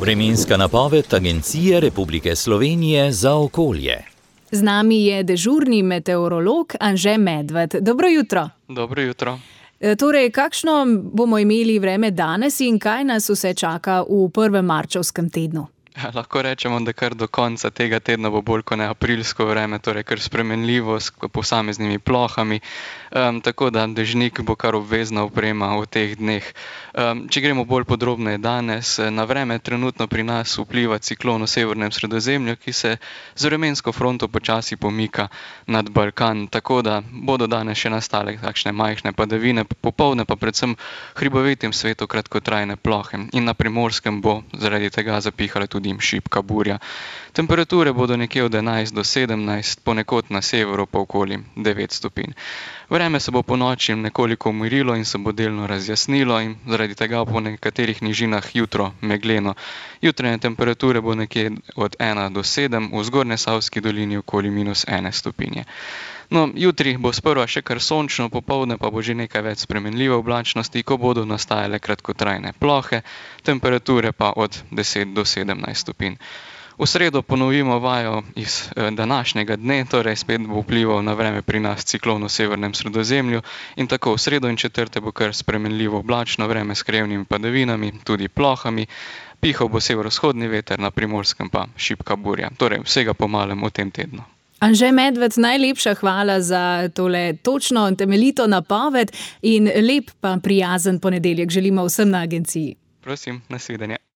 Vremenska napoved Agencije Republike Slovenije za okolje. Z nami je dežurni meteorolog Anže Medved. Dobro jutro. Dobro jutro. Torej, kakšno bomo imeli vreme danes in kaj nas vse čaka v prvem marčevskem tednu? Lahko rečemo, da kar do konca tega tedna bo bolj kot ne aprilsko vreme, torej kar spremenljivo s posameznimi plohami, tako da dežnik bo kar obvezna oprema v teh dneh. Če gremo bolj podrobneje danes, na vreme trenutno pri nas vpliva ciklon v severnem Sredozemlju, ki se z vremensko fronto počasi pomika nad Balkan, tako da bodo danes še nastale takšne majhne padavine, popoldne pa predvsem hribovitim svetu kratkotrajne plohe in na Primorskem bo zaradi tega zapihala tudi šibka burja. Temperature bodo nekje od 11 do 17, ponekod na severu pa okoli 9 stopinj. Vreme se bo po noči nekoliko umirilo in se bo delno razjasnilo in zaradi tega po nekaterih nižinah jutro megleno. Jutranje temperature bo nekje od 1 do 7, v Zgornjesavski dolini okoli -1 stopinje. No, jutri bo sprva še kar sončno, popoldne pa bo že nekaj več spremenljive oblačnosti, ko bodo nastajale kratkotrajne plohe, temperature pa od 10 do 17 stopinj. V sredo ponovimo vajo iz današnjega dne, torej spet bo vplival na vreme pri nas ciklon v severnem Sredozemlju in tako v sredo in četrtek bo kar spremenljivo oblačno vreme s krajevnimi padavinami, tudi plohami, pihal bo severovzhodni veter, na Primorskem pa šibka burja, torej vsega po malem v tem tednu. Anže Medved, najlepša hvala za tole točno temeljito napoved in lep pa prijazen ponedeljek želimo vsem na agenciji. Prosim, nasvidenje.